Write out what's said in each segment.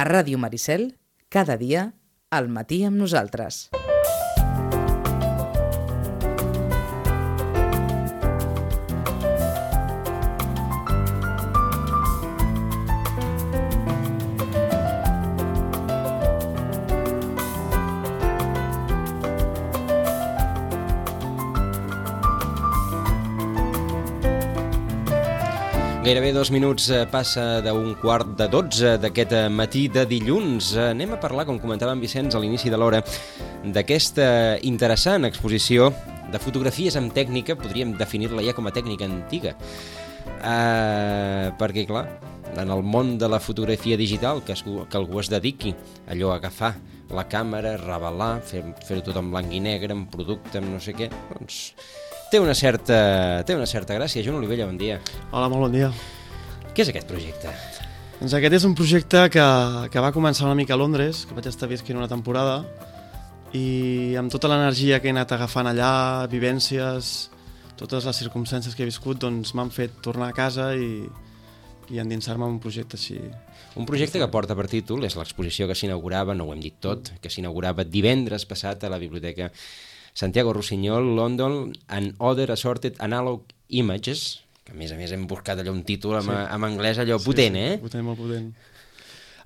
A Ràdio Maricel, cada dia, al matí amb nosaltres. Gairebé 2 minuts passa d'un 11:45 d'aquest matí de dilluns. Anem a parlar, com comentava en Vicenç a l'inici de l'hora, d'aquesta interessant exposició de fotografies amb tècnica, podríem definir-la ja com a tècnica antiga. Perquè, clar, en el món de la fotografia digital, que algú es dediqui allò a agafar la càmera, revelar, fer-ho tot en blanc i negre, en producte, en no sé què, doncs té una certa gràcia. Joan Olivella, bon dia. Hola, molt bon dia. Què és aquest projecte? Doncs aquest és un projecte que va començar una mica a Londres, que vaig estar visquent una temporada, i amb tota l'energia que he anat agafant allà, vivències, totes les circumstàncies que he viscut, doncs m'han fet tornar a casa i endinsar-me en un projecte així. Un projecte que porta per títol, és l'exposició que s'inaugurava, no ho hem dit tot, que s'inaugurava divendres passat a la Biblioteca Santiago Rusiñol, London, and Other Assorted Analog Images, que a més hem buscat allò un títol en anglès allò potent, eh? Potent, molt potent.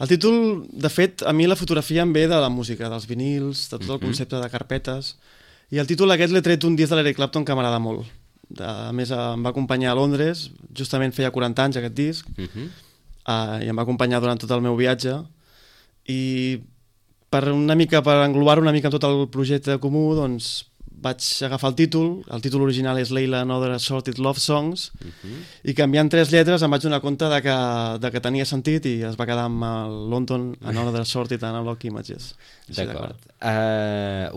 El títol, de fet, a mi la fotografia em ve de la música, dels vinils, de tot el concepte de carpetes, i el títol aquest l'he tret un disc de l'Eric Clapton que m'agrada molt. A més, em va acompanyar a Londres, justament feia 40 anys aquest disc, i em va acompanyar durant tot el meu viatge, i per englobar una mica en tot el projecte comú, doncs vaig agafar el títol original és Leila and Other Assorted Love Songs, i canviant 3 lletres em vaig donar compte de que tenia sentit i es va quedar amb el London and Other Assorted Analog Images. D'acord.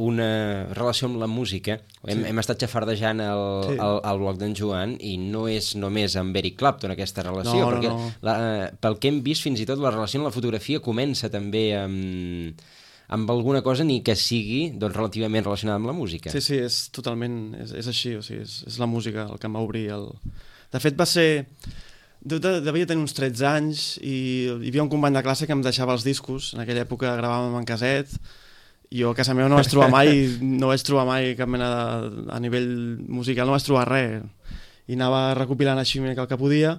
Una relació amb la música, hem estat xafardejant el blog d'en Joan i no és només amb Eric Clapton aquesta relació, perquè pel que hem vist fins i tot la relació amb la fotografia comença també amb alguna cosa ni que sigui doncs, relativament relacionada amb la música. Sí, és totalment, és així, o sigui, és la música el que em va obrir. De fet va ser, devia tenir uns 13 anys i hi havia un company de classe que em deixava els discos, en aquella època gravàvem en caset, i jo a casa meva no vaig trobar mai cap mena a nivell musical, no vaig trobar res, i anava recopilant així una mica el que podia,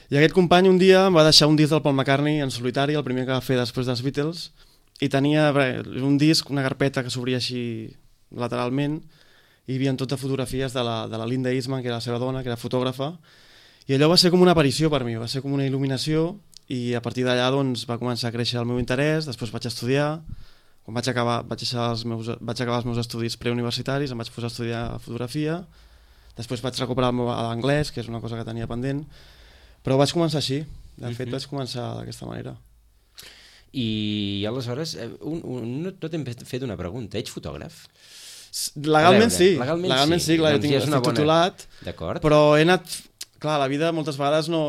i aquest company un dia em va deixar un disc del Paul McCartney en solitari, el primer que va fer després dels Beatles, i tenia un disc, una carpeta que s'obria així lateralment, i hi havia tot de fotografies de la Linda Eastman, que era la seva dona, que era fotògrafa, i allò va ser com una aparició per mi, va ser com una il·luminació, i a partir d'allà doncs, va començar a créixer el meu interès. Després vaig estudiar, quan vaig acabar els meus estudis preuniversitaris, em vaig posar a estudiar fotografia, després vaig recuperar l'anglès, que és una cosa que tenia pendent, però vaig començar així, de fet vaig començar d'aquesta manera. I aleshores, no t'hem fet una pregunta, ets fotògraf? Legalment sí, clar, jo estic titulat, però he anat, clar, la vida moltes vegades no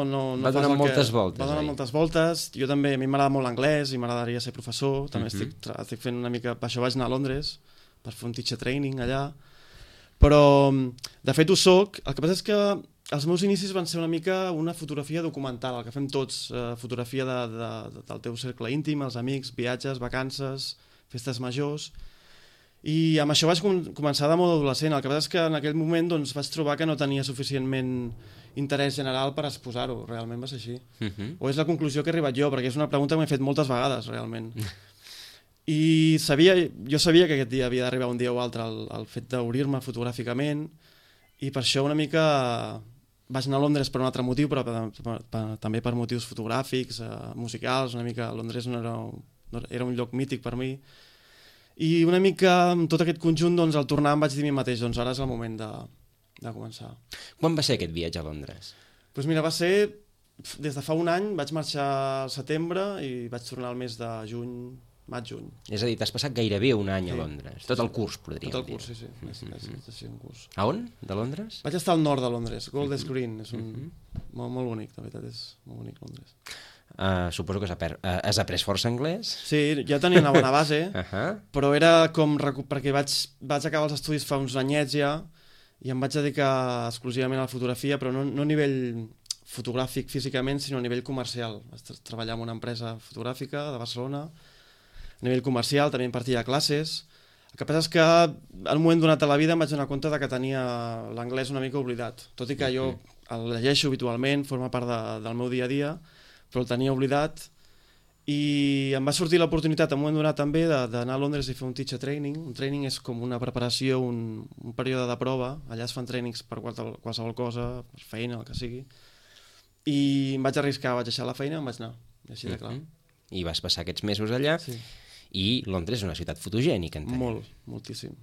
va donar moltes voltes. Va donar moltes voltes, jo també, a mi m'agrada molt l'anglès i m'agradaria ser professor, també estic fent una mica, per això vaig anar a Londres, per fer un teacher training allà, però de fet ho soc, el que passa és que els meus inicis van ser una mica una fotografia documental, el que fem tots, fotografia del teu cercle íntim, els amics, viatges, vacances, festes majors, i amb això vaig començar de molt adolescent. El que passa és que en aquell moment doncs, vaig trobar que no tenia suficientment interès general per exposar-ho, realment va ser així. O és la conclusió que he arribat jo, perquè és una pregunta que m'he fet moltes vegades, realment. I jo sabia que aquest dia havia d'arribar un dia o altre el fet d'obrir-me fotogràficament, i per això una mica vaig anar a Londres per un altre motiu, però també per motius fotogràfics, musicals, una mica Londres era un lloc mític per mi, i una mica amb tot aquest conjunt, doncs, al tornar em vaig dir a mi mateix, doncs ara és el moment de començar. Quan va ser aquest viatge a Londres? Doncs mira, va ser des de fa un any, vaig marxar al setembre i vaig tornar al mes de juny, maig-juny. És a dir, t'has passat gairebé un any a Londres. Tot el curs, podríem dir. Tot el curs, sí. És un curs. A on, de Londres? Vaig estar al nord de Londres, Golders Green. És molt bonic, de veritat, és molt bonic Londres. Suposo que has après força anglès? Sí, ja tenia una bona base, però era com... perquè vaig acabar els estudis fa uns anyets ja, i em vaig dedicar exclusivament a la fotografia, però no a nivell fotogràfic físicament, sinó a nivell comercial. Vaig treballar en una empresa fotogràfica de Barcelona, a nivell comercial, també impartia classes. El que passa és que en un moment donat a la vida em vaig donar compte de que tenia l'anglès una mica oblidat, tot i que jo el llegeixo habitualment, forma part del meu dia a dia, però el tenia oblidat, i em va sortir l'oportunitat en un moment donat també d'anar a Londres i fer un teacher training. Un training és com una preparació, un període de prova, allà es fan trainings per qualsevol cosa, per feina, el que sigui, i em vaig arriscar, vaig deixar la feina i em vaig anar, així de clar. I vas passar aquests mesos allà, i Londres és una ciutat fotogènica, entenc. Molt, moltíssim.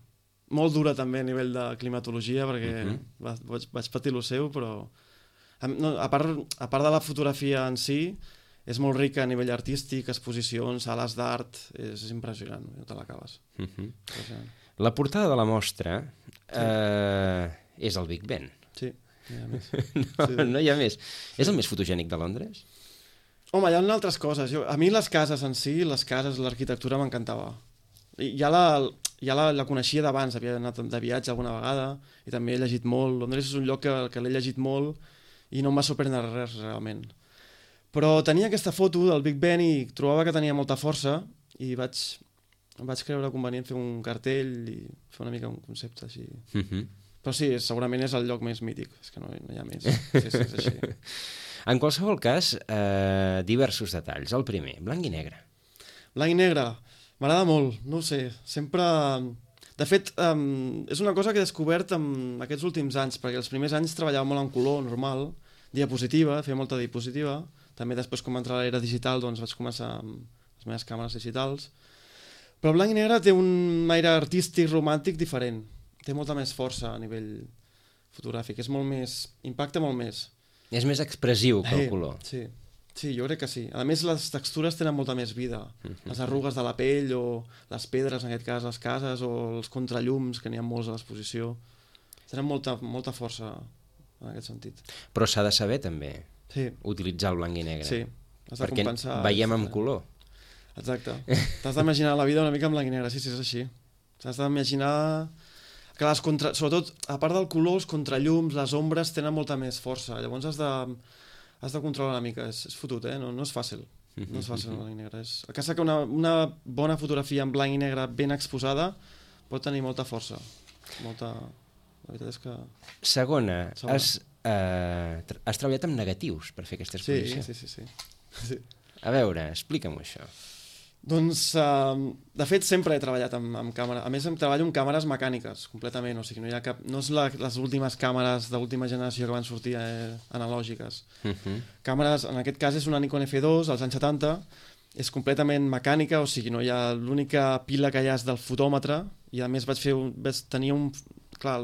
Molt dura també a nivell de climatologia, perquè vaig patir lo seu, però a part de la fotografia en si, és molt rica a nivell artístic, exposicions, sales d'art, és impressionant, no te l'acabes. La portada de la mostra és el Big Ben. Sí, no hi ha més. No hi ha més. És el més fotogènic de Londres? Home, hi ha altres coses. A mi les cases en si, l'arquitectura m'encantava. Ja la coneixia d'abans, havia anat de viatge alguna vegada i també he llegit molt. Londres és un lloc que l'he llegit molt i no em va sorprendre res realment. Però tenia aquesta foto del Big Ben i trobava que tenia molta força i vaig creure convenient fer un cartell i fer una mica un concepte així. Però sí, segurament és el lloc més mític, és que no hi ha més. Sí, és així. En qualsevol cas, diversos detalls. El primer, blanc i negre. Blanc i negre, m'agrada molt, no ho sé, sempre... De fet, és una cosa que he descobert en aquests últims anys, perquè els primers anys treballava molt en color, normal, diapositiva, feia molta diapositiva, també després com va entrar l'era digital doncs vaig començar amb les meves càmeres digitals, però blanc i negre té un aire artístic, romàntic diferent, té molta més força a nivell fotogràfic, és molt més, impacta molt més. És més expressiu que el color. Sí, jo crec que sí. A més, les textures tenen molta més vida. Les arrugues de la pell o les pedres, en aquest cas, les cases, o els contrallums, que n'hi ha molts a l'exposició. Tenen molta força en aquest sentit. Però s'ha de saber, també, utilitzar el blanc i negre. Sí, has de compensar. Perquè veiem amb color. Exacte. T'has d'imaginar la vida una mica en blanc i negre, sí, és així. T'has d'imaginar que sobretot, a part del color, els contrallums, les ombres tenen molta més força. Llavors has de controlar una mica. És fotut, no és fàcil. No és fàcil en blanc i negre. El que és que una bona fotografia en blanc i negre ben exposada pot tenir molta força. La veritat és que... Segona, has treballat amb negatius per fer aquesta exposició. Sí. A veure, explica'm això. Doncs, de fet, sempre he treballat amb càmera. A més, treballo amb càmeres mecàniques, completament. O sigui, no és les últimes càmeres d'última generació que van sortir analògiques. Càmeres, en aquest cas és una Nikon F2, als anys 70, és completament mecànica, o sigui, no hi ha l'única pila que hi ha és del fotòmetre, i a més vaig tenir un... Clar,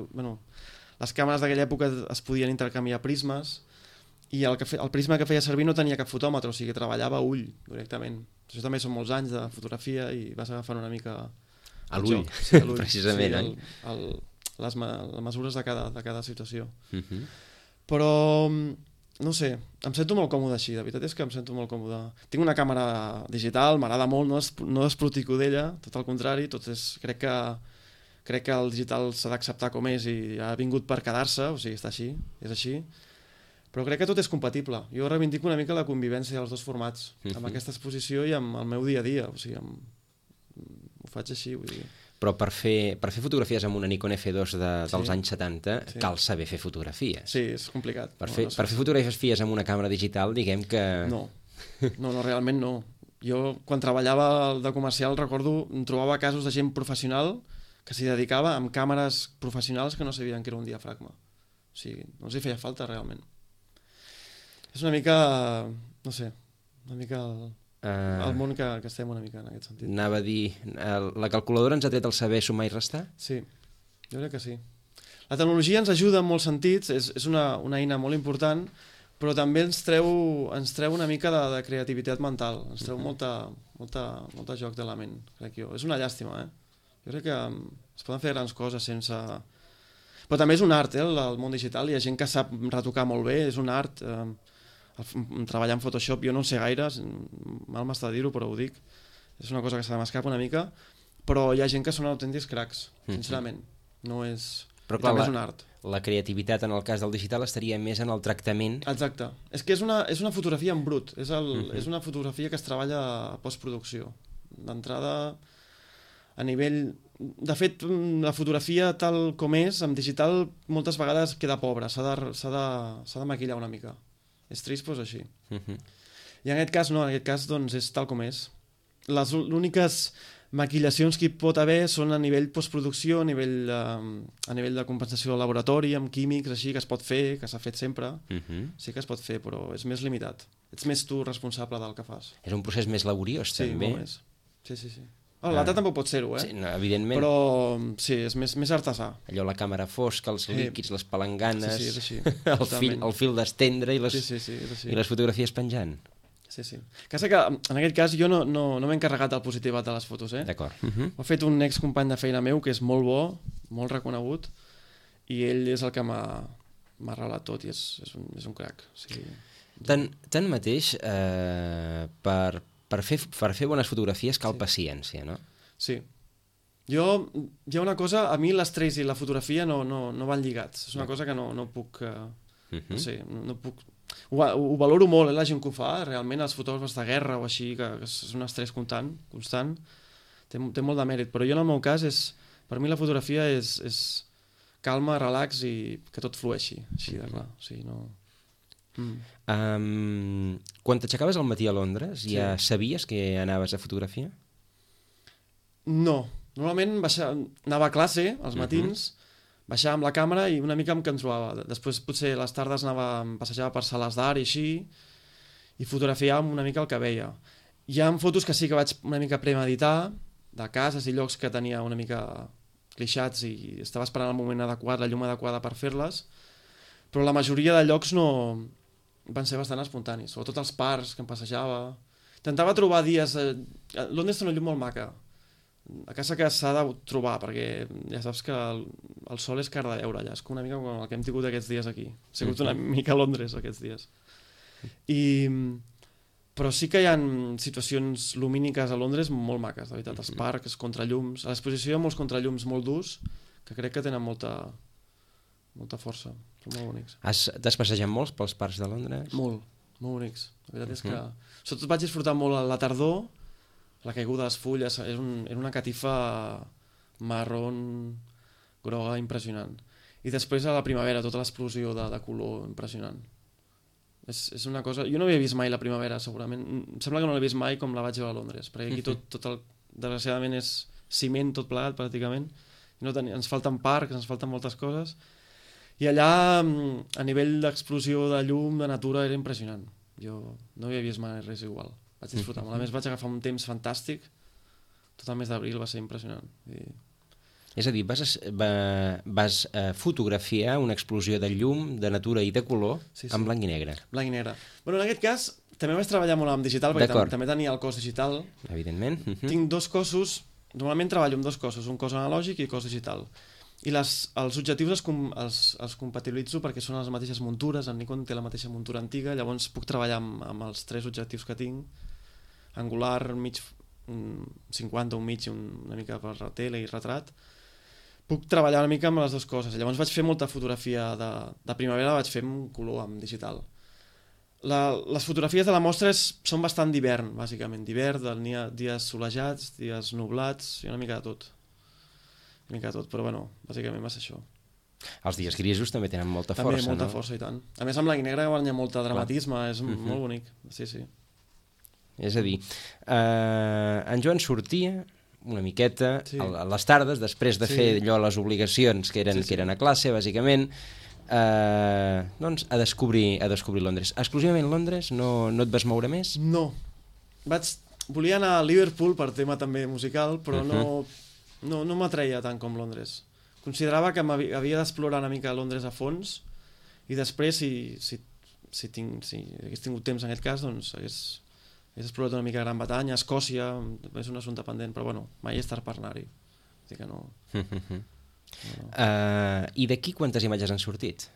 les càmeres d'aquella època es podien intercanviar prismes, i el prisma que feia servir no tenia cap fotòmetre, o sigui, treballava a ull, directament. Això també són molts anys de fotografia i vas agafant una mica... A l'ull, precisament. Les mesures de cada situació. Però, no sé, em sento molt còmode així, la veritat és que em sento molt còmode. Tinc una càmera digital, m'agrada molt, no desprotico d'ella, tot al contrari, crec que el digital s'ha d'acceptar com és i ha vingut per quedar-se, o sigui, està així, és així. Però crec que tot és compatible. Jo reivindico una mica la convivència dels dos formats, amb aquesta exposició i amb el meu dia a dia. O sigui, ho faig així, vull dir. Però per fer fotografies amb una Nikon F2 dels anys 70 cal saber fer fotografies. Sí, és complicat. Per fer fotografies amb una càmera digital, diguem que... No, realment no. Jo, quan treballava de comercial, recordo, trobava casos de gent professional que s'hi dedicava amb càmeres professionals que no sabien que era un diafragma. O sigui, no els hi feia falta realment. És una mica, no sé, el món que estem una mica en aquest sentit. Anava a dir, la calculadora ens ha tret el saber sumar i restar? Sí, jo crec que sí. La tecnologia ens ajuda en molts sentits, és una eina molt important, però també ens treu una mica de creativitat mental, ens treu molta joc de la ment, crec jo. És una llàstima, Jo crec que es poden fer grans coses sense... Però també és un art, el món digital, hi ha gent que sap retocar molt bé, és un art... treballar en Photoshop jo no en sé gaire, mal m'està dir-ho però ho dic, és una cosa que se m'escapa una mica, però hi ha gent que són autèntics cracs, sincerament, no és Però I clar, també és un art. La creativitat en el cas del digital estaria més en el tractament. Exacte. És que és una fotografia en brut, és una fotografia que es treballa a postproducció. D'entrada, a nivell... De fet, la fotografia tal com és, en digital, moltes vegades queda pobra, s'ha de maquillar una mica. És trist, doncs així. I en aquest cas no, en aquest cas doncs, és tal com és. Les úniques maquillacions que hi pot haver són a nivell postproducció, a nivell de compensació del laboratori, amb químics, així, que es pot fer, que s'ha fet sempre. Sí que es pot fer, però és més limitat. Ets més tu responsable del que fas. És un procés més laboriós, també. Sí, molt més. Sí. L'altre tampoc pot ser-ho, Sí, no, evidentment. Però sí, és més artesà. Allò, la càmera fosca, els líquids, les palanganes... Sí, és així. el fil d'estendre i les fotografies penjant. Sí. Que en aquest cas jo no m'he encarregat del positivat de les fotos, D'acord. Ho ha fet un excompany de feina meu que és molt bo, molt reconegut, i ell és el que m'ha relat tot i és un crac. Sí. Tanmateix, per fer bones fotografies cal paciència, no? Sí. Hi ha una cosa, a mi l'estrès i la fotografia no van lligats. És una cosa que no puc... No sé, no puc... Ho valoro molt, la gent que ho fa, realment els fotògrafs de guerra o així, que és un estrès constant, té molt de mèrit, però jo en el meu cas per mi la fotografia és calma, relax i que tot flueixi, així de clar, o sigui, no... Quan t'aixecaves al matí a Londres, ja sabies que anaves a fotografia? No, normalment anava a classe als matins, baixava amb la càmera i una mica em trobava. Després potser a les tardes passejava per sales d'art i així, i fotografiàvem una mica el que veia. Hi ha fotos que sí que vaig una mica premeditar, de cases i llocs que tenia una mica clixats i estava esperant el moment adequat, la llum adequada per fer-les, però la majoria de llocs van ser bastant espontanis, sobretot els parcs que em passejava. Intentava trobar dies... Londres té una llum molt maca, a casa que s'ha de trobar, perquè ja saps que el sol és car de veure allà, és com una mica com el que hem tingut aquests dies aquí. Ha sigut una mica a Londres aquests dies. Però sí que hi ha situacions lumíniques a Londres molt maques, de veritat, els parcs, contrallums, a l'exposició hi ha molts contrallums molt durs que crec que tenen molta força, són molt bonics. T'has passejat molts pels parcs de Londres? Molt bonics. La veritat és que... Sobretot vaig disfrutar molt a la tardor, la caiguda de les fulles, era una catifa marrón, groga, impressionant. I després a la primavera, tota l'explosió de color impressionant. És una cosa... Jo no havia vist mai la primavera, segurament. Em sembla que no l'he vist mai com la vaig veure a Londres, perquè aquí desgraciadament és ciment tot plegat, pràcticament. Ens falten parcs, ens falten moltes coses. I allà, a nivell d'explosió de llum, de natura, era impressionant. Jo no havia vist mai res igual. Vaig disfrutar molt. A més, vaig agafar un temps fantàstic. Tot el mes d'abril va ser impressionant. És a dir, vas fotografiar una explosió de llum, de natura i de color en blanc i negre. Blanc i negre. Bueno, en aquest cas, també vaig treballar molt amb digital, perquè també tenia el cos digital. Evidentment. Tinc dos cossos, normalment treballo amb dos cossos, un cos analògic i cos digital. I els objectius els compatibilitzo perquè són les mateixes muntures, el Nikon té la mateixa muntura antiga, llavors puc treballar amb els tres objectius que tinc, angular, mig 50, un mig, una mica per tele i retrat. Puc treballar una mica amb les dues coses. Llavors vaig fer molta fotografia de primavera, la vaig fer en color, amb digital. Les fotografies de la mostra són bastant d'hivern, bàsicament. D'hivern, dies solejats, dies nublats, i una mica de tot. Però bueno, bàsicament va ser això. Els dies grisos també tenen molta força, no? També molta força, i tant. A més, amb blanc i negre guanya molt dramatisme, és molt bonic. Sí. És a dir, en Joan sortia una miqueta a les tardes, després de fer allò les obligacions que eren a classe, bàsicament, doncs a descobrir Londres. Exclusivament Londres? No et vas moure més? No. Volia anar a Liverpool per tema també musical, però no m'atreia tant com Londres. Considerava que havia d'explorar una mica Londres a fons i després, si hagués tingut temps en aquest cas, doncs hagués explorat una mica Gran Bretanya, Escòcia, és un assumpte pendent, però bueno, mai és tard per anar-hi. Que no. I d'aquí quantes imatges han sortit?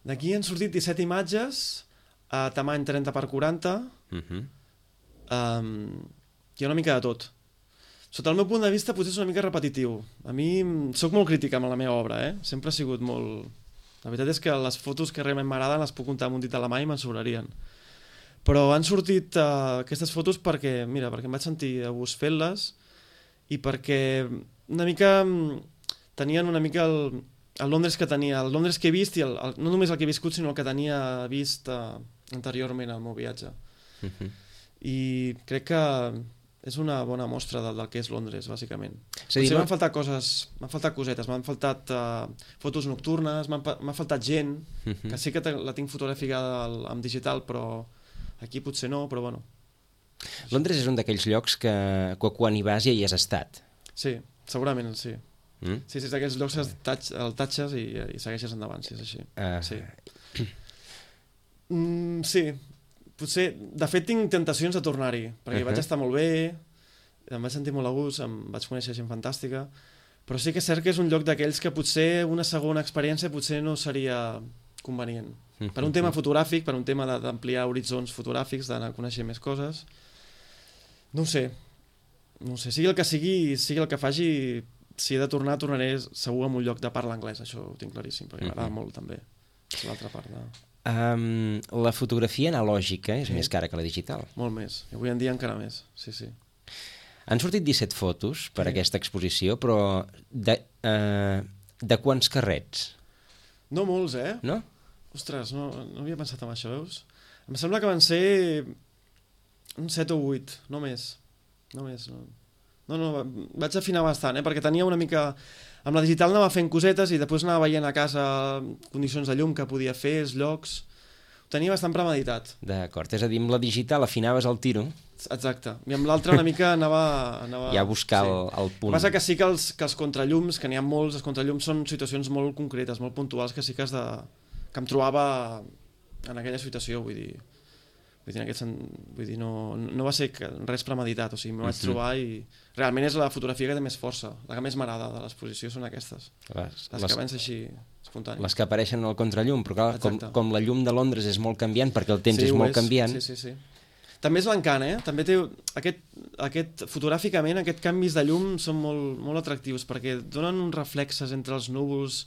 D'aquí han sortit 17 imatges a tamany 30x40, i una mica de tot. Sota el meu punt de vista potser és una mica repetitiu. A mi sóc molt crític amb la meva obra, sempre ha sigut molt... La veritat és que les fotos que realment m'agraden les puc comptar amb un dit a la mà i me'n sobrarien. Però han sortit aquestes fotos perquè em vaig sentir a gust fent-les i perquè una mica tenien una mica el Londres que tenia, el Londres que he vist i no només el que he viscut sinó el que tenia vist anteriorment al meu viatge. I crec que és una bona mostra del que és Londres, bàsicament. Potser m'han faltat coses, m'han faltat cosetes, m'han faltat fotos nocturnes, m'ha faltat gent, que sí que la tinc fotografada en digital, però aquí potser no, però bueno. Londres és un d'aquells llocs que quan hi vas ja hi has estat. Sí, segurament, sí. Sí, és d'aquells llocs que el tatxes i segueixes endavant, si és així. Sí. Sí, potser, de fet tinc tentacions de tornar-hi, perquè vaig estar molt bé, em vaig sentir molt a gust, em vaig conèixer gent fantàstica, però sí que és cert que és un lloc d'aquells que potser una segona experiència potser no seria convenient. Per un tema fotogràfic, per un tema d'ampliar horitzons fotogràfics, d'anar a conèixer més coses. No ho sé, sigui el que sigui, sigui el que faci, si he de tornar, tornaré segur en un lloc de parla anglès, això ho tinc claríssim, perquè m'agrada molt també. És l'altra part de... La fotografia analògica és més cara que la digital. Molt més, i avui en dia encara més, sí. Han sortit 17 fotos per aquesta exposició, però de quants carrets? No molts, No? Ostres, no havia pensat en això, veus? Em sembla que van ser un 7 o 8, no més. No, vaig afinar bastant, perquè tenia una mica... Amb la digital anava fent cosetes i després anava veient a casa condicions de llum que podia fer, els llocs... Ho tenia bastant premeditat. D'acord, és a dir, amb la digital afinaves el tiro. Exacte, i amb l'altra una mica anava... Ja a buscar el punt. Passa que sí que els contrallums, que n'hi ha molts, els contrallums són situacions molt concretes, molt puntuals, que sí que que em trobava en aquella situació, vull dir, no va ser res premeditat, o sigui, m'ho vaig trobar i realment és la fotografia que té més força, la que més m'agrada de l'exposició són aquestes, les que van ser així espontànies. Les que apareixen al contrallum, però clar, com la llum de Londres és molt canviant, perquè el temps és molt canviant. Sí. També és l'encant, també té fotogràficament aquests canvis de llum són molt, molt atractius, perquè donen uns reflexes entre els núvols,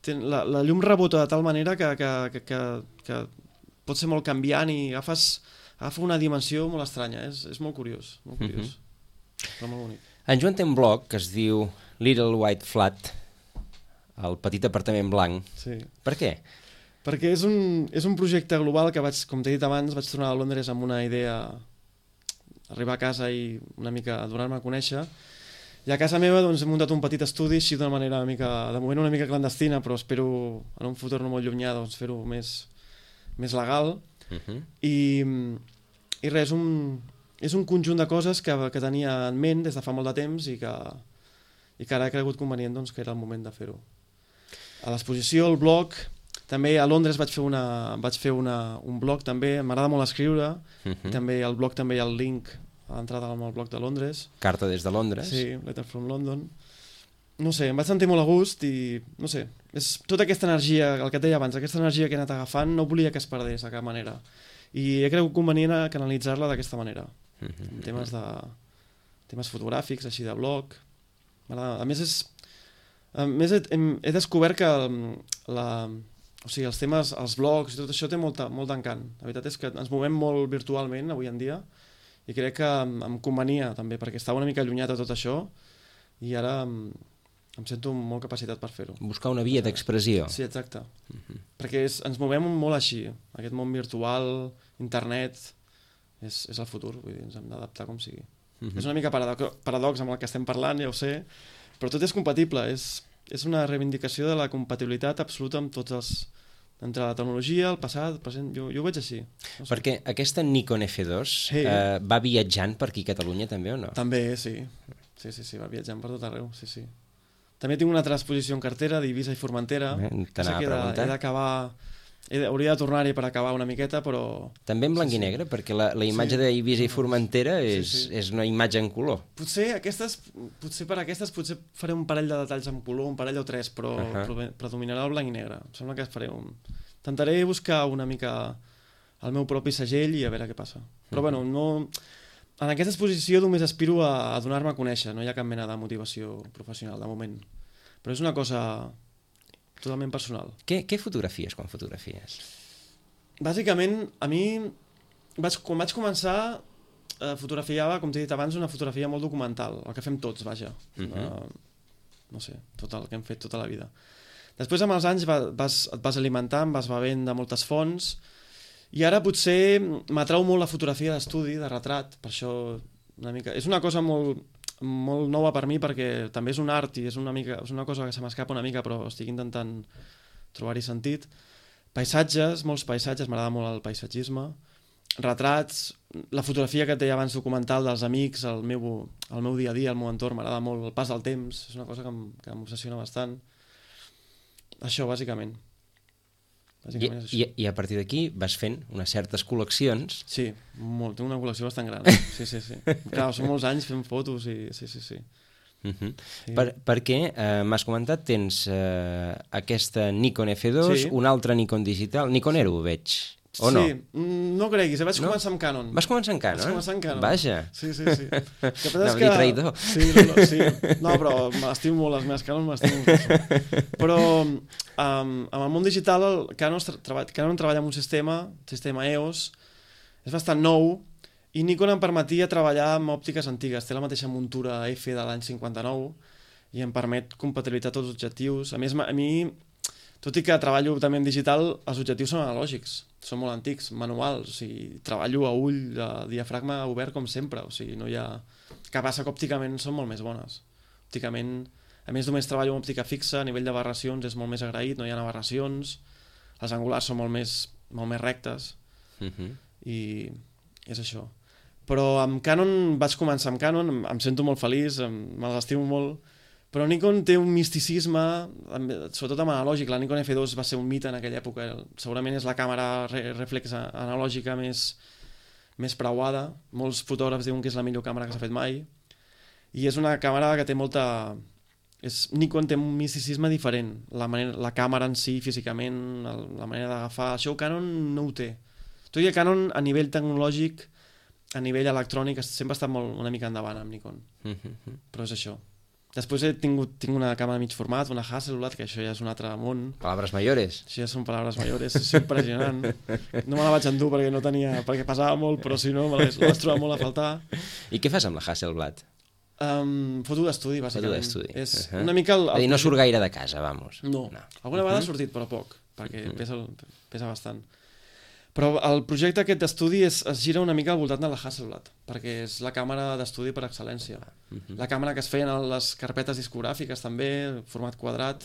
la llum rebota de tal manera que pot ser molt canviant i agafa una dimensió molt estranya, és molt curiós, però molt bonic. En Joan té un blog que es diu Little White Flat, el petit apartament blanc. Sí. Per què? Perquè és un projecte global que com t'he dit abans, vaig tornar a Londres amb una idea, arribar a casa i una mica donar-me a conèixer, i a casa meva he muntat un petit estudi així d'una manera de moment una mica clandestina, però espero en un futur no molt llunyà fer-ho més legal. I res, és un conjunt de coses que tenia en ment des de fa molt de temps i que ara he cregut convenient que era el moment de fer-ho. A l'exposició, el blog, també a Londres vaig fer un blog també, m'agrada molt escriure, i també al blog també hi ha el link a l'entrada al blog de Londres. Carta des de Londres. Sí, Letter from London. No sé, em vaig sentir molt a gust i, no sé, és tota aquesta energia, el que et deia abans, aquesta energia que he anat agafant, no volia que es perdés de cap manera. I he cregut convenient a canalitzar-la d'aquesta manera. Temes fotogràfics, així de blog. A més, he descobert que els temes, els blogs i tot això té molt d'encant. La veritat és que ens movem molt virtualment avui en dia i crec que em convenia també, perquè estava una mica allunyat de tot això i ara em sento molt capacitat per fer-ho. Buscar una via d'expressió. Sí, exacte. Perquè ens movem molt així. Aquest món virtual, internet, és el futur, vull dir, ens hem d'adaptar com sigui. És una mica paradox amb el que estem parlant, ja ho sé, però tot és compatible. És una reivindicació de la compatibilitat absoluta amb tots els... entre la tecnologia, el passat, el present, jo ho veig així. No sé. Perquè aquesta Nikon F2 va viatjant per aquí a Catalunya també o no? També, sí. Sí, va viatjant per tot arreu, sí. També tinc una altra exposició en cartera d'Eivissa i Formentera. T'anava a preguntar. He d'acabar... Hauria de tornar-hi per acabar una miqueta, però... També en blanc i negre, perquè la imatge d'Eivissa i Formentera és una imatge en color. Potser per aquestes faré un parell de detalls en color, un parell o tres, però predominarà el blanc i negre. Em sembla que intentaré buscar una mica el meu propi segell i a veure què passa. Però bueno, no... en aquesta exposició només aspiro a donar-me a conèixer, no hi ha cap mena de motivació professional, de moment. Però és una cosa totalment personal. Què fotografies quan fotografies? Bàsicament, a mi, quan vaig començar, fotografiava, com t'he dit abans, una fotografia molt documental, el que fem tots, vaja. No sé, tot el que hem fet tota la vida. Després, amb els anys, et vas alimentant, vas bevent de moltes fonts, i ara potser m'atrau molt la fotografia d'estudi, de retrat, per això una mica... És una cosa molt nova per mi perquè també és un art i és una cosa que se m'escapa una mica, però estic intentant trobar-hi sentit. Paisatges, molts paisatges, m'agrada molt el paisatgisme. Retrats, la fotografia que et deia abans documental dels amics, el meu dia a dia, el meu entorn, m'agrada molt el pas del temps, és una cosa que m'obsessiona bastant. Això, bàsicament. I a partir d'aquí vas fent unes certes col·leccions. Sí, molt. Tinc una col·lecció bastant gran. Sí. Clar, són molts anys fent fotos i sí. Sí. Perquè m'has comentat, tens aquesta Nikon F2, un altre Nikon digital. Nikonero ho veig, o no? Sí, no creguis, vaig començar amb Canon. Vas començar amb Canon? Vaig començar amb Canon. Vaja. Sí. Anava a dir traïdor. Sí. No, però m'estimo molt, les meves Canon m'estimo molt. Però amb el món digital, Canon treballa amb un sistema EOS, és bastant nou, i Nikon em permetia treballar amb òptiques antigues. Té la mateixa muntura F de l'any 59 i em permet compatibilitzar tots els objectius. A més, a mi, tot i que treballo també en digital, els objectius són analògics, són molt antics, manuals, o sigui, treballo a ull, a diafragma obert com sempre, o sigui, no hi ha... Que passa que òpticament són molt més bones. Òpticament, a més només treballo amb òptica fixa, a nivell d'aberracions és molt més agraït, no hi ha aberracions, les angulars són molt més rectes, i és això. Però amb Canon, vaig començar amb Canon, em sento molt feliç, me l'estimo molt, però Nikon té un misticisme, sobretot amb analògic. La Nikon F2 va ser un mite en aquella època, segurament és la càmera reflex analògica més preuada, molts fotògrafs diuen que és la millor càmera que s'ha fet mai, i és una càmera que té molta... Nikon té un misticisme diferent, la càmera en si, físicament, la manera d'agafar, això Canon no ho té. Tot i que Canon, a nivell tecnològic, a nivell electrònic, sempre ha estat una mica endavant amb Nikon, però és això. Després tinc una càmera de mig format, una Hasselblad, que això ja és un altre món. Palabras mayores. Això ja són palabras mayores, és impressionant. No me la vaig endur perquè pesava molt, però si no me l'hagués trobat molt a faltar. I què fas amb la Hasselblad? Foto d'estudi, bàsicament. Foto d'estudi. És una mica... No surt gaire de casa, vamos. No. Alguna vegada ha sortit, però poc, perquè pesa bastant. Però el projecte aquest d'estudi es gira una mica al voltant de la Hasselblad, perquè és la càmera d'estudi per excel·lència. La càmera que es feien a les carpetes discogràfiques també, format quadrat.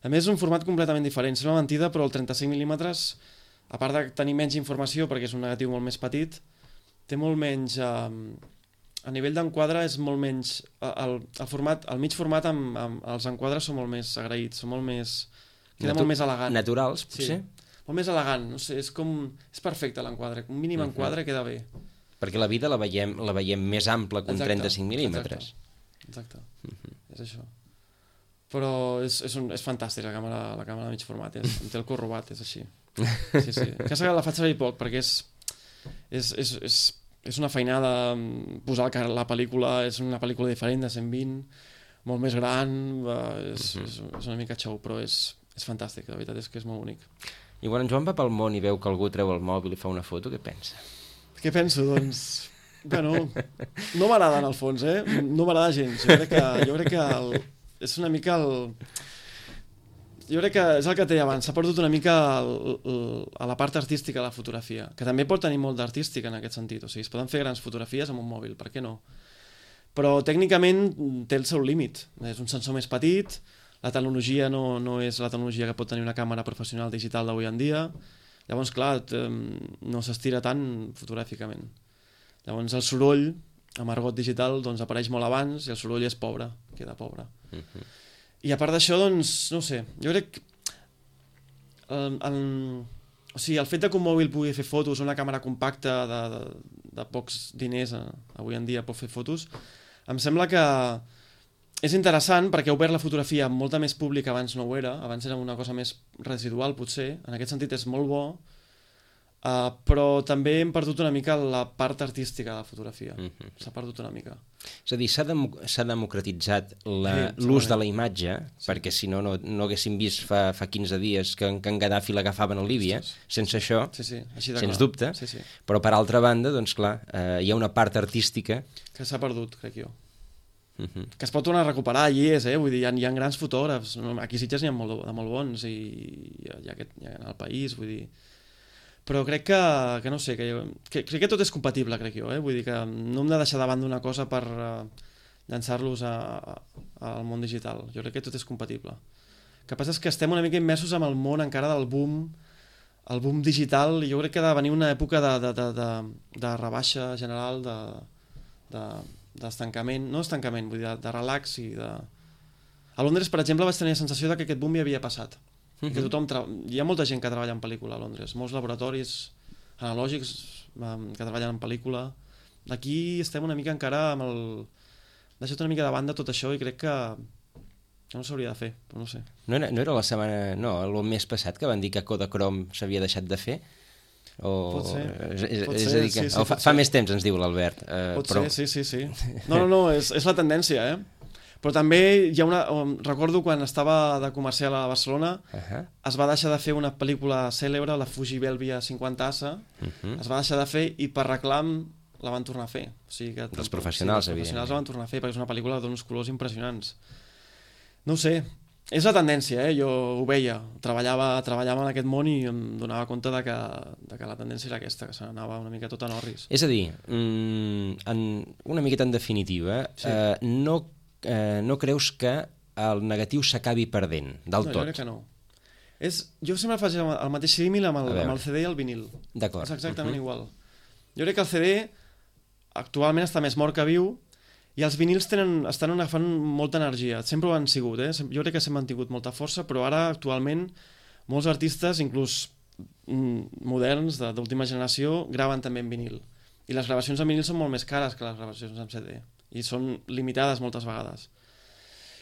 A més, és un format completament diferent. És una mentida, però el 35mm, a part de tenir menys informació, perquè és un negatiu molt més petit, té molt menys... A nivell d'enquadre és molt menys... El mig format amb els enquadres són molt més agraïts, són molt més... Queda molt més elegant. Naturals, potser? Sí. Molt més elegant, no sé, és perfecte l'enquadre, un mínim enquadre queda bé. Perquè la vida la veiem més ampla que un 35mm. Exacte. És això. Però és fantàstic la càmera de mig format, em té el cor robat, és així. Sí. Que la faig servir poc, perquè és una feinada posar la pel·lícula, és una pel·lícula diferent de 120, molt més gran, és una mica xou, però és fantàstic, la veritat és que és molt bonic. I quan en Joan va pel món i veu que algú treu el mòbil i fa una foto, què pensa? Què penso? Doncs... Bueno, no m'agrada en el fons, No m'agrada gens. Jo crec que és una mica el... Jo crec que és el que et deia abans, s'ha perdut una mica a la part artística de la fotografia, que també pot tenir molt d'artística en aquest sentit. O sigui, es poden fer grans fotografies amb un mòbil, per què no? Però tècnicament té el seu límit. És un sensor més petit, la tecnologia no és la tecnologia que pot tenir una càmera professional digital d'avui en dia. Llavors, clar, no s'estira tant fotogràficament. Llavors, el soroll, amb argot digital, doncs apareix molt abans i el soroll és pobre, queda pobre. I a part d'això, doncs, no sé, jo crec... O sigui, el fet que un mòbil pugui fer fotos, una càmera compacta de pocs diners, avui en dia pot fer fotos, em sembla que és interessant perquè ha obert la fotografia amb molta més públic, abans no ho era, abans era una cosa més residual potser, en aquest sentit és molt bo, però també hem perdut una mica la part artística de la fotografia. S'ha perdut una mica. És a dir, s'ha democratitzat l'ús de la imatge, perquè si no, no haguéssim vist fa 15 dies que en Gaddafi l'agafaven a Líbia, sense això, sens dubte, però per altra banda, doncs clar, hi ha una part artística que s'ha perdut, crec jo. Que es pot tornar a recuperar, allí és, vull dir, hi ha grans fotògrafs, aquí a Sitges n'hi ha de molt bons, i hi ha en el país, vull dir, però crec que no sé, crec que tot és compatible, crec jo, vull dir que no hem de deixar de banda una cosa per llançar-los al món digital, jo crec que tot és compatible. El que passa és que estem una mica immersos en el món encara del boom, el boom digital, i jo crec que ha de venir una època de rebaixa general, d'estancament, no estancament, vull dir, de relax i de... A Londres, per exemple, vaig tenir la sensació que aquest boom ja havia passat. Que hi ha molta gent que treballa en pel·lícula a Londres, molts laboratoris analògics que treballen en pel·lícula. Aquí estem una mica encara amb el... deixat una mica de banda tot això i crec que no s'hauria de fer, però no sé. No era la setmana... No, el mes passat que van dir que Kodachrome s'havia deixat de fer? Pot ser. És a dir, que fa més temps, ens diu l'Albert. Pot ser, sí. No, és la tendència, Però també hi ha una... Recordo quan estava de comercial a Barcelona, es va deixar de fer una pel·lícula cèlebre, la Fuji Belvia 50assa, es va deixar de fer i per reclam la van tornar a fer. O sigui que els professionals, evidentment. Els professionals la van tornar a fer perquè és una pel·lícula d'uns colors impressionants. No ho sé, és la tendència, jo ho veia. Treballava en aquest món i em donava compte de que la tendència era aquesta, que s'anava una mica tot en orris. És a dir, una miqueta en definitiva, no creus que el negatiu s'acabi perdent del tot? Jo crec que no. Jo sempre faig el mateix símil amb el CD i el vinil. D'acord. És exactament igual. Jo crec que el CD actualment està més mort que viu i els vinils estan agafant molta energia. Sempre ho han sigut, Jo crec que sempre han tingut molta força, però ara actualment molts artistes, inclús moderns, d'última generació, graven també en vinil. I les gravacions en vinil són molt més cares que les gravacions en CD. I són limitades moltes vegades.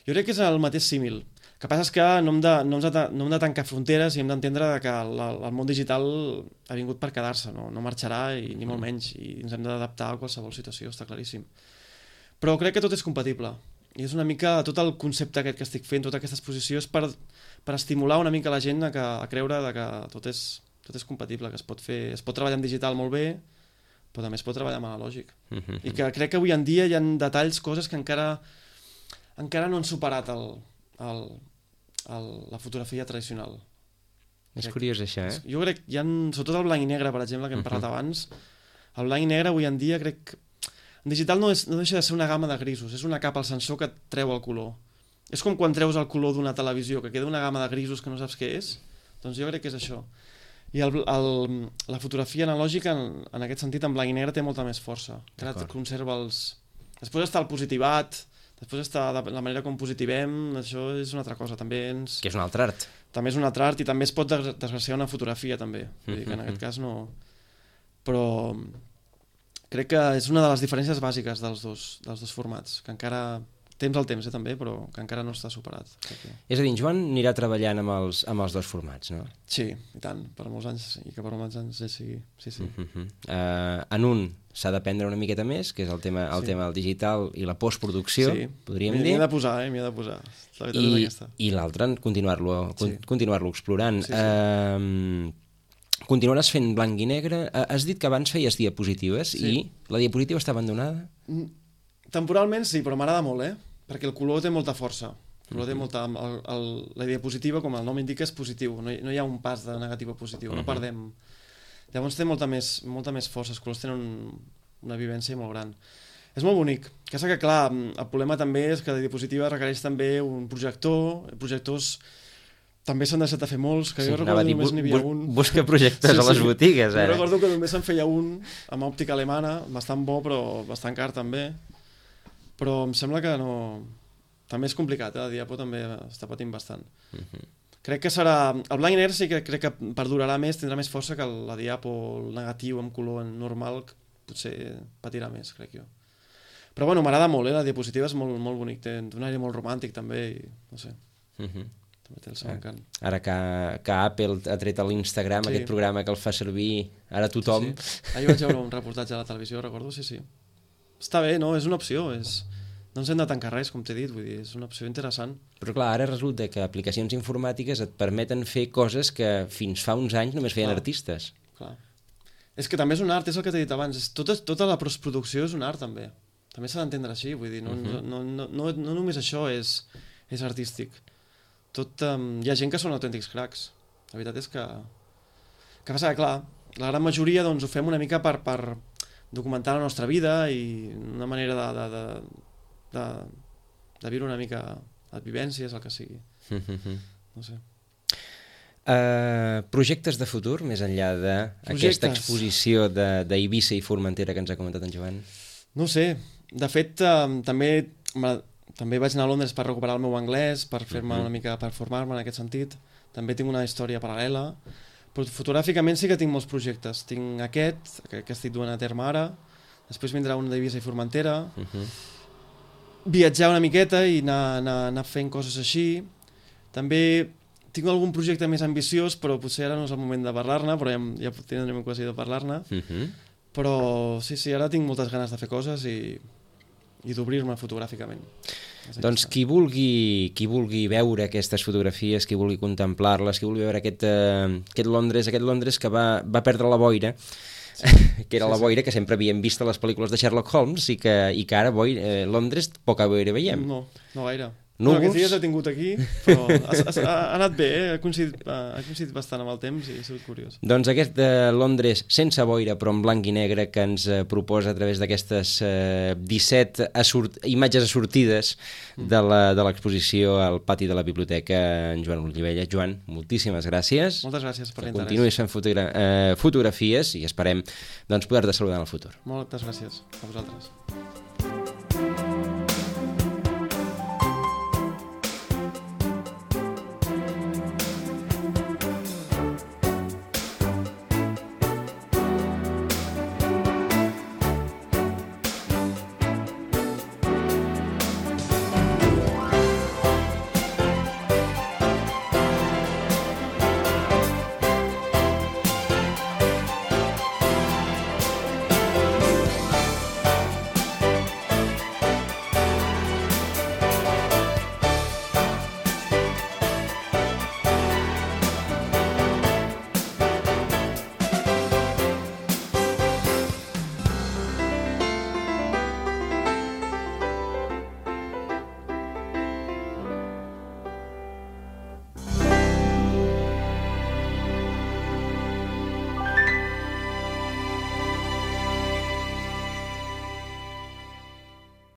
Jo crec que és el mateix símil. El que passa és que no hem de tancar fronteres i hem d'entendre que el món digital ha vingut per quedar-se, no marxarà ni molt menys, i ens hem d'adaptar a qualsevol situació, està claríssim. Però crec que tot és compatible. I és una mica tot el concepte aquest que estic fent, tota aquesta exposició és per estimular una mica la gent a creure que tot és compatible, que es pot treballar en digital molt bé, però també es pot treballar amb analògic. I que crec que avui en dia hi ha detalls, coses que encara no han superat la fotografia tradicional. És curiós això, Jo crec que hi ha, sobretot el blanc i negre, per exemple, que hem parlat abans, el blanc i negre avui en dia crec... En digital no deixa de ser una gamma de grisos, és una capa al sensor que et treu el color. És com quan treus el color d'una televisió, que queda una gamma de grisos que no saps què és. Doncs jo crec que és això. I la fotografia analògica, en aquest sentit, en blanc i negre, té molta més força. Que conserva els... Després està el positivat, després està la manera com positivem, això és una altra cosa. Que és un altre art. També és un altre art i també es pot desgraciar una fotografia, també. Vull dir que en aquest cas no... Però crec que és una de les diferències bàsiques dels dos formats, que encara... Temps al temps, també, però que encara no està superat. És a dir, en Joan anirà treballant amb els dos formats, no? Sí, i tant, per molts anys, i que per molts anys sigui. Sí. En un s'ha d'aprendre una miqueta més, que és el tema del digital i la postproducció, podríem dir. M'hi he de posar, m'hi he de posar. La veritat és aquesta. I l'altre, continuar-lo explorant. Continuaràs fent blanc i negre? Has dit que abans feies diapositives i la diapositiva està abandonada? Temporalment sí, però m'agrada molt, perquè el color té molta força. El color té molta... La diapositiva, com el nom indica, és positiu. No hi ha un pas de negatiu a positiu, no perdem. Llavors té molta més força, els colors tenen una vivència molt gran. És molt bonic. Que és que, clar, el problema també és que la diapositiva requereix també un projector. Projectors també s'han deixat de fer molts, que jo recordo que només n'hi havia un. Busca projectors a les botigues, Jo recordo que només se'n feia un, amb òptica alemana, bastant bo, però bastant car també. Però em sembla que no... També és complicat, la diapo també està patint bastant. Crec que serà... El blanc i negre sí que crec que perdurarà més, tindrà més força que la diapo, el negatiu amb color normal, potser patirà més, crec jo. Però bueno, m'agrada molt, la diapositiva és molt, molt bonic, té un aire molt romàntic també, i no sé. també té el seu encant. Ara que Apple ha tret a l'Instagram aquest programa que el fa servir ara tothom. Ahir vaig veure un reportatge a la televisió, recordo, sí. Està bé, no? És una opció, no ens hem de tancar res, com t'he dit, vull dir, és una opció interessant. Però clar, ara resulta que aplicacions informàtiques et permeten fer coses que fins fa uns anys només feien artistes. Clar. És que també és un art, és el que t'he dit abans, tota la postproducció és un art també. També s'ha d'entendre així, vull dir, no només això és artístic. Hi ha gent que són autèntics cracs. La veritat és que passa que, clar, la gran majoria doncs, ho fem una mica per documentar la nostra vida i una manera de viure una mica les vivències, el que sigui. No sé. Projectes de futur, més enllà d'aquesta exposició d'Eivissa i Formentera que ens ha comentat en Joan? No sé. De fet, també vaig anar a Londres per recuperar el meu anglès, per fer-me una mica, per formar-me en aquest sentit. També tinc una història paral·lela. Però fotogràficament sí que tinc molts projectes. Tinc aquest, que estic duent a terme ara. Després vindrà un d'Eivissa i Formentera. Viatjar una miqueta i anar fent coses així. També tinc algun projecte més ambiciós, però potser ara no és el moment de parlar-ne, però ja tindrem ocasió de parlar-ne. Però sí, ara tinc moltes ganes de fer coses i d'obrir-me fotogràficament. Doncs qui vulgui veure aquestes fotografies, qui vulgui contemplar-les, qui vulgui veure aquest Londres que va perdre la boira, que era la boira que sempre havíem vist a les pel·lícules de Sherlock Holmes i que ara Londres poca boira veiem. No gaire. Aquests dies he tingut aquí, però ha anat bé, ha coincidit bastant amb el temps i ha sigut curiós. Doncs aquest Londres sense boira però en blanc i negre que ens proposa a través d'aquestes 17 imatges assortides de l'exposició al pati de la biblioteca en Joan Olivella. Joan, moltíssimes gràcies. Moltes gràcies per l'interès. Continuïs fent fotografies i esperem poder-te saludar en el futur. Moltes gràcies a vosaltres.